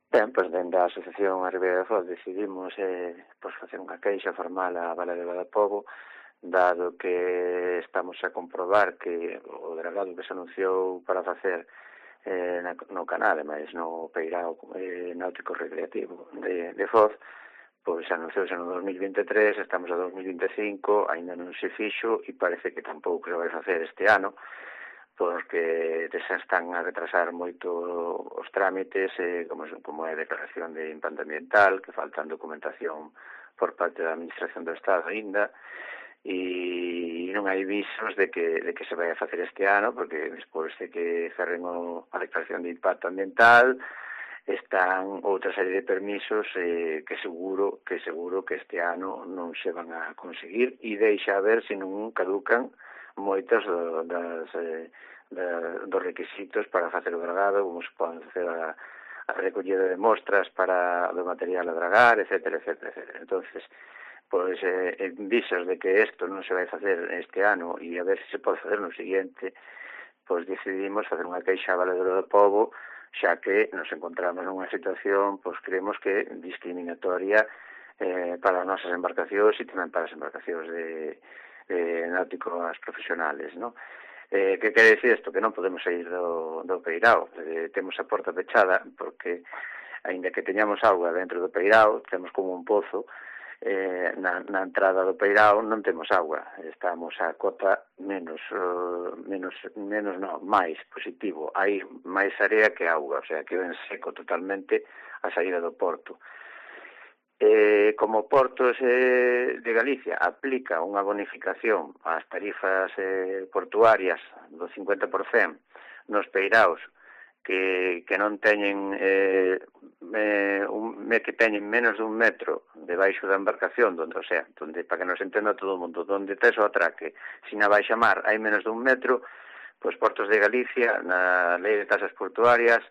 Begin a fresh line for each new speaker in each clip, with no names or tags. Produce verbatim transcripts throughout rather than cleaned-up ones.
Ben, pois dende a Asociación A Ribeira de Foz decidimos eh, pois facer unha queixa formal á Valedora do Pobo, dado que estamos a comprobar que o dragado que se anunciou para facer eh, na, no canal, mas no Peirao eh, náutico recreativo de, de Foz, pois anunciouse no dos mil vinte e tres, estamos a dos mil vinte e cinco, aínda non se fixo e parece que tampouco se vai facer este ano, porque xa están a retrasar moito os trámites, eh, como, como é a declaración de impacto ambiental, que faltan documentación por parte da Administración do Estado aínda, e non hai visos de que, de que se vai a facer este ano, porque despois de que cerren o, a declaración de impacto ambiental, están outra serie de permisos eh, que seguro que seguro que este ano non se van a conseguir, e deixa a ver se non caducan moitos do, das, eh, da, dos requisitos para facer o dragado, como se poden facer a, a recollida de mostras para do material a dragar, etcétera, etcétera, etcétera. Entonces, pois, eh, en visos de que isto non se vai facer este ano e a ver se se pode facer no seguinte, pois decidimos facer unha queixa a Valedora do Pobo, xa que nos encontramos nunha situación, pois creemos que discriminatoria eh, para as nosas embarcacións e tamén para as embarcacións de eh, náuticos profesionales, ¿no? Eh, que quere decir isto? Que non podemos sair do, do Peirao, eh, temos a porta pechada, porque, aínda que teñamos auga dentro do Peirao, temos como un pozo, eh, na, na entrada do Peirao non temos auga, estamos a cota menos, uh, menos, menos non, máis positivo, hai máis area que auga, o sea, que ven seco totalmente a saída do porto. Eh, como Portos eh, de Galicia aplica unha bonificación ás tarifas eh, portuarias do cincuenta por cento nos peiraos que, que non teñen eh, eh, un, que teñen menos dun metro debaixo da embarcación, donde, o sea, donde, para que nos entenda todo o mundo, donde tes o atraque, sin a baixa mar hai menos dun metro, pois Portos de Galicia, na lei de tasas portuarias,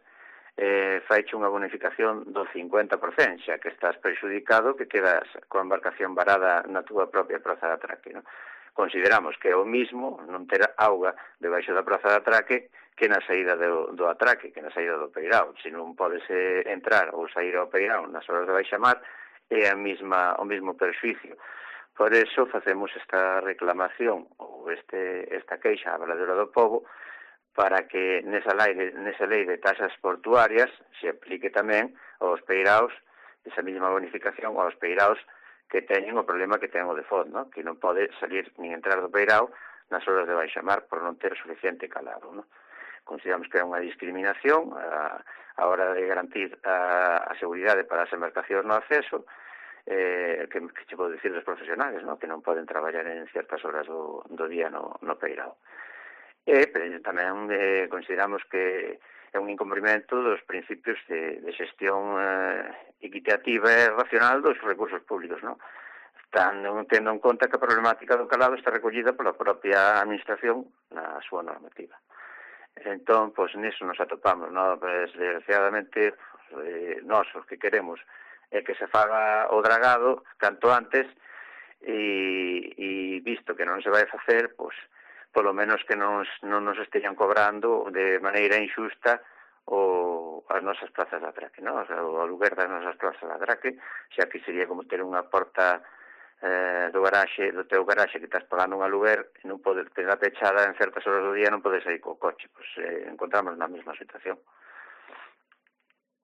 eh, faiche unha bonificación do cincuenta por cento, xa que estás prexudicado que quedas coa embarcación varada na túa propia praza de atraque, non? Consideramos que é o mismo non ter auga debaixo da praza de atraque que na saída do, do atraque, que na saída do Peirao. Se non podes eh, entrar ou sair ao Peirao nas horas de baixa mar, é a mesma, o mesmo perjuicio. Por eso facemos esta reclamación ou este, esta queixa á Valedora do Pobo, para que nesa lei, nesa lei de tasas portuarias se aplique tamén aos peiraos, esa mesma bonificación aos peiraos que teñen o problema que ten o de Foz, ¿no? Que non pode salir nin entrar do peirao nas horas de baixa mar por non ter suficiente calado, ¿no? Consideramos que é unha discriminación a, a hora de garantir a, a seguridade para as embarcacións no acceso, eh, que, que che podo dicir dos profesionales, ¿no? Que non poden traballar en certas horas do, do día no, no peirao. E pero tamén eh, consideramos que é un incumprimento dos principios de, de xestión eh, equitativa e racional dos recursos públicos, non? Están tendo en conta que a problemática do calado está recollida pola propia administración na súa normativa. Entón, pois, niso nos atopamos, non? Pues, desgraciadamente, eh, nós os que queremos é que se faga o dragado canto antes e, e visto que non se vai facer, pois, polo menos que nos, non nos esteñan cobrando de maneira injusta o, as nosas plazas de atraque, non? O, sea, o aluguer das nosas plazas de atraque, xa que sería como ter unha porta eh, do garaxe, do teu garaxe que estás pagando un aluguer e non podes ter a pechada en certas horas do día non podes sair co coche, pois eh, encontramos na mesma situación.